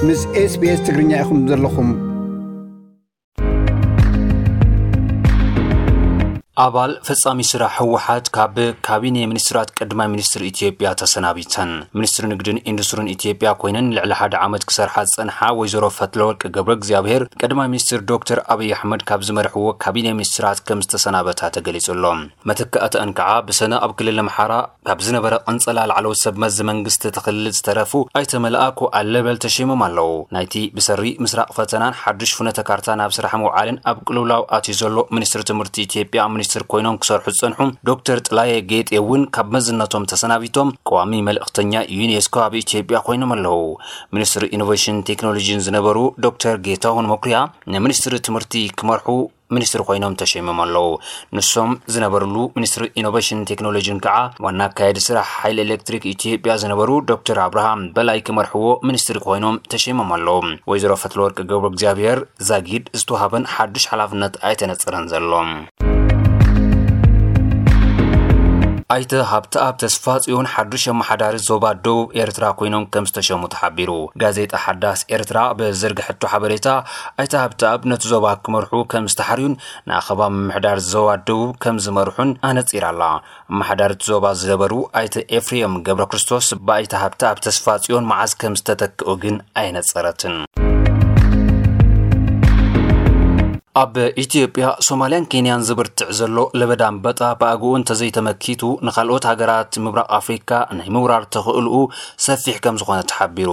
ምስ SBS ትግርኛ ኢኹም ዘለኹም። ኣባል ፈጻሚ ስራሕ ህወሓት ካብ ካቢኔ ሚኒስትራት ቀዳማይ ሚኒስትር ኢትዮጵያ ተሰናቢተን። ሚኒስትሪ ንግድን ኢንዱስትሪን ኢትዮጵያ ኮይነን ልዕሊ ሓደ ዓመት ክሰርሓ ዝጸንሓ ወይዘሮ ፈትለወርቅ ገብረ እግዚኣብሔር፣ ቀዳማይ ሚኒስትር ዶክተር ኣብይ ኣሕመድ ካብ ዝመርሕዎ ካቢኔ ሚኒስትራት ከም ዝተሰናበታ ተገሊጹ ኣሎ። መተካእተአን ከዓ ብሰነ ኣብ ክልል ኣምሓራ ካብ ዝነበረ ቅንጸላ ላዕለዎት ሰብ መዚ መንግስቲ እቲ ክልል ዝተረፉ ኣይተ መልኣኩ ኣለበል ተሸይሞም ኣለዉ። ናይቲ ብሰሪ ምስራቕ ፈተናን ሓዱሽ ፍኖተ ካርታ ናብ ስራሕ ምውዓልን ኣብ ቅልውላው ኣትዩ ዘሎ ሚኒስትሪ ትምህርቲ ኢትዮጵያ ሚኒስትር ኮይኖም ክሰርሑ ዝጸንሑ ዶክተር ጥላየ ጌጤ እውን ካብ መዝነቶም ተሰናቢቶም ቀዋሚ መልእኽተኛ ዩኔስኮ ኣብ ኢትዮጵያ ኮይኖም ኣለዉ። ሚኒስትሪ ኢኖቬሽን ቴክኖሎጂን ዝነበሩ ዶክተር ጌታሁን መኩሪያ ንሚኒስትሪ ትምህርቲ ክመርሑ ሚኒስትሪ ኮይኖም ተሸይሞም ኣለዉ። ንሶም ዝነበርሉ ሚኒስትሪ ኢኖቬሽን ቴክኖሎጂን ከዓ ዋና ኣካያዲ ስራሕ ሓይሊ ኤሌክትሪክ ኢትዮጵያ ዝነበሩ ዶክተር ኣብርሃም በላይ ክመርሕዎ ሚኒስትሪ ኮይኖም ተሸይሞም ኣለዉ። ወይዘሮ ፈትለወርቅ ገብረ እግዚኣብሔር ዛጊድ ዝተዋሃበን ሓዱሽ ሓላፍነት ኣይተነጸረን ዘሎ። ኣይተ ሃብተኣብ ተስፋጽዮን ሓዱሽ ኣመሓዳሪ ዞባ ደቡብ ኤርትራ ኮይኖም ከም ዝተሸሙ ተሓቢሩ። ጋዜጣ ሓዳስ ኤርትራ ብዘርግሐቶ ሓበሬታ ኣይተ ሃብተኣብ ነቲ ዞባ ክመርሑ ከም ዝተሓርዩን ንኣኸባ ምምሕዳር ዞባ ደቡብ ከም ዝመርሑን ኣነጺራ ኣላ። ኣመሓዳሪ እቲ ዞባ ዝነበሩ ኣይተ ኤፍሬም ገብረ ክርስቶስ ብኣይተ ሃብተኣብ ተስፋጽዮን መዓዝ ከም ዝተተክኡ ግን ኣየነጸረትን። ኣብ ኢትዮጵያ፣ ሶማልያን ኬንያን ዝብርትዕ ዘሎ ለበዳ ኣንበጣ ብኣግኡ እንተዘይተመኪቱ ንኻልኦት ሃገራት ምብራቕ ኣፍሪካ ናይ ምውራር ተኽእልኡ ሰፊሕ ከም ዝኾነ ተሓቢሩ።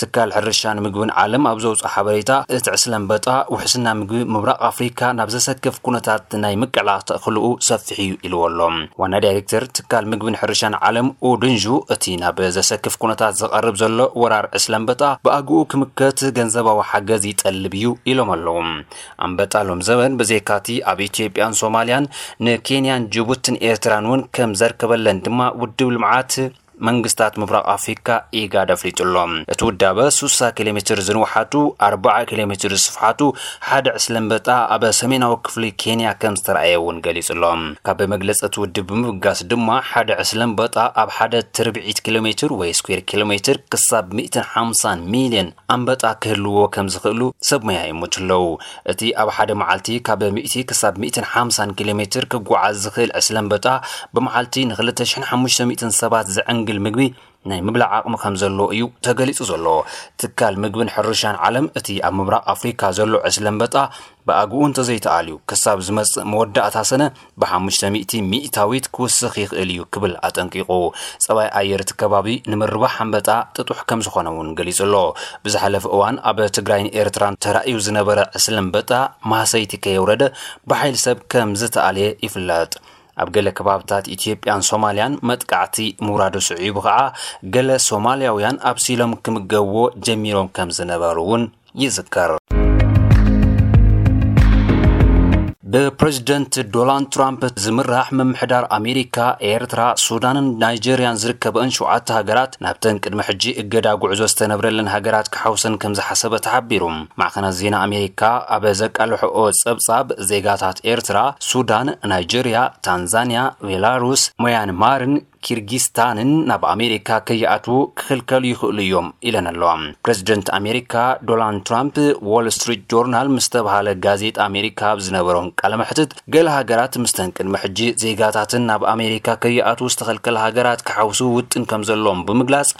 ትካል ሕርሻን ምግብን ዓለም ኣብ ዘውፅኦ ሓበሬታ፣ እቲ ዕስለ ኣንበጣ ውሕስና ምግቢ ምብራቕ ኣፍሪካ ናብ ዘሰክፍ ኩነታት ናይ ምቅላዕ ተኽእልኡ ሰፊሕ እዩ ኢልዎ ኣሎ። ዋና ዳይሬክተር ትካል ምግብን ሕርሻን ዓለም ኡድንዡ፣ እቲ ናብ ዘሰክፍ ኩነታት ዝቐርብ ዘሎ ወራር ዕስለ ኣንበጣ ብኣግኡ ክምከት ገንዘባዊ ሓገዝ ይጠልብ እዩ ኢሎም ኣለዉ። ኣንበጣ ሎም ዘበን ብዘይካቲ ኣብ ኢትዮጵያን ሶማልያን ንኬንያን ጅቡትን ኤርትራን እውን ከም ዘርከበለን ድማ ውድብ ልምዓት መንግስታት ምብራቕ ኣፍሪካ ኢጋድ ኣፍሊጡ ኣሎ። እቲ ውዳበ ሱሳ ኪሎ ሜትር ዝንውሓቱ ኣርባዓ ኪሎ ሜትር ዝስፍሓቱ ሓደ ዕስለ ኣንበጣ ኣብ ሰሜናዊ ክፍሊ ኬንያ ከም ዝተረኣየ እውን ገሊጹ ኣሎ። ካብ መግለፂ እቲ ውድብ ብምብጋስ ድማ ሓደ ዕስለ ኣንበጣ ኣብ ሓደ ትርብዒት ኪሎ ሜትር ወይ ስኩዌር ኪሎ ሜትር ክሳብ ሚእትን ሓምሳን ሚልዮን ኣንበጣ ክህልዎ ከም ዝኽእሉ ሰብ ሞያ ይእምቱ ኣለዉ። እቲ ኣብ ሓደ መዓልቲ ካብ ሚእቲ ክሳብ ሚእትን ሓምሳን ኪሎ ሜትር ክጓዓዝ ዝኽእል ዕስለ ኣንበጣ ብመዓልቲ ንኽልተ ሽሕን ሓሙሽተ ሚእትን ሰባት ዘዕንግል ምግቢ ናይ ምብላዕ ዓቕሚ ከም ዘለዎ እዩ ተገሊጹ ዘሎ። ትካል ምግብን ሕርሻን ዓለም እቲ ኣብ ምብራቕ ኣፍሪካ ዘሎ ዕስለ ኣንበጣ ብኣግኡ እንተዘይተኣልዩ ክሳብ ዝመጽእ መወዳእታ ሰነ ብሓሙሽተ ሚእቲ ሚእታዊት ክውስኽ ይኽእል እዩ ክብል ኣጠንቂቑ። ጸባይ ኣየር እቲ ከባቢ ንምርባሕ ኣንበጣ ጥጡሕ ከም ዝኾነ እውን ገሊጹ ኣሎ። ብዝሓለፈ እዋን ኣብ ትግራይን ኤርትራን ተራእዩ ዝነበረ ዕስለ ኣንበጣ ማህሰይቲ ከየውረደ ብሓይሊ ሰብ ከም ዝተኣልየ ይፍለጥ። ኣብ ገለ ከባብታት ኢትዮጵያን ሶማልያን መጥቃዕቲ ምውራዱ ስዒቡ ከዓ ገለ ሶማልያውያን ኣብሲሎም ክምገብዎ ጀሚሮም ከም ዝነበሩ እውን ይዝከር። ብፕሬዚደንት ዶናልድ ትራምፕ ዝምራሕ ምምሕዳር ኣሜሪካ፣ ኤርትራ፣ ሱዳንን ናይጀርያን ዝርከበእን ሸውዓተ ሃገራት ናብተን ቅድሚ ሕጂ እገዳ ጉዕዞ ዝተነብረለን ሃገራት ክሓውሰን ከም ዝሓሰበ ተሓቢሩ። ማዕኸናት ዜና ኣሜሪካ ኣብ ዘቃልሕኦ ጸብጻብ፣ ዜጋታት ኤርትራ፣ ሱዳን፣ ናይጀርያ፣ ታንዛንያ፣ ቤላሩስ፣ መያንማርን ኪርጊስታንን ናብ ኣሜሪካ ከይኣትዉ ክኽልከሉ ይኽእሉ እዮም ኢለን ኣለዋ። ፕሬዚደንት ኣሜሪካ ዶናልድ ትራምፕ ዎል ስትሪት ጆርናል ምስ ተባሃለ ጋዜጣ ኣሜሪካ ኣብ ዝነበሮም ቃለ መሕትት፣ ገለ ሃገራት ምስተን ቅድሚ ሕጂ ዜጋታትን ናብ ኣሜሪካ ከይኣትዉ ዝተኸልከለ ሃገራት ክሓውሱ ውጥን ከም ዘለዎም ብምግላጽ፣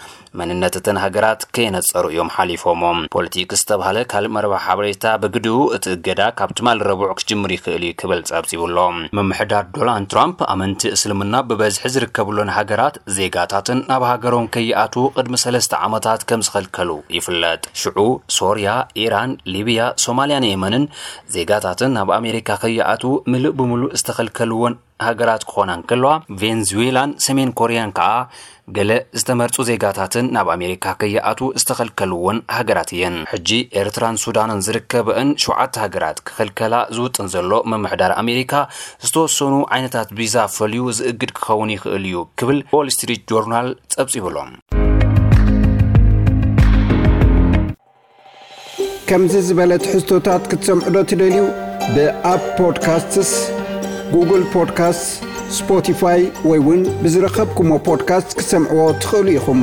መንነት እተን ሃገራት ከየነጸሩ እዮም ሓሊፎሞ። ፖለቲክ ዝተባህለ ካልእ መርበብ ሓበሬታ ብግድኡ እቲ እገዳ ካብ ትማሊ ረቡዕ ክጅምር ይኽእል እዩ ክብል ጸብጺቡ ኣሎ። ምምሕዳር ዶናልድ ትራምፕ ኣመንቲ እስልምና ብበዝሒ ዝርከብሎን ሃገራት ዜጋታትን ናብ ሃገሮም ከይኣትዉ ቅድሚ ሰለስተ ዓመታት ከም ዝኸልከሉ ይፍለጥ። ሽዑ ሶርያ፣ ኢራን፣ ሊብያ፣ ሶማልያን የመንን ዜጋታትን ናብ ኣሜሪካ ከይኣትዉ ምሉእ ብምሉእ ዝተኸልከልወን ሃገራት ክኾና እንከለዋ፣ ቬንዙዌላን ሰሜን ኮርያን ከዓ ገለ ዝተመርጹ ዜጋታትን ናብ ኣሜሪካ ከይኣትዉ ዝተኸልከልወን ሃገራት እየን። ሕጂ ኤርትራን ሱዳንን ዝርከበእን ሸውዓተ ሃገራት ክኽልከላ ዝውጥን ዘሎ ምምሕዳር ኣሜሪካ፣ ዝተወሰኑ ዓይነታት ቪዛ ፈልዩ ዝእግድ ክኸውን ይኽእል እዩ ክብል ዎል ስትሪት ጆርናል ጸብጺቡ ኣሎ። ከምዚ ዝበለ ትሕዝቶታት ክትሰምዑ ዶ ትደልዩ? ብኣፕ ፖድካስትስ፣ ጉግል ፖድካስትስ፣ ስፖቲፋይ ወይ እውን ብዝረኸብኩሞ ፖድካስት ክትሰምዕዎ ትኽእሉ ኢኹም።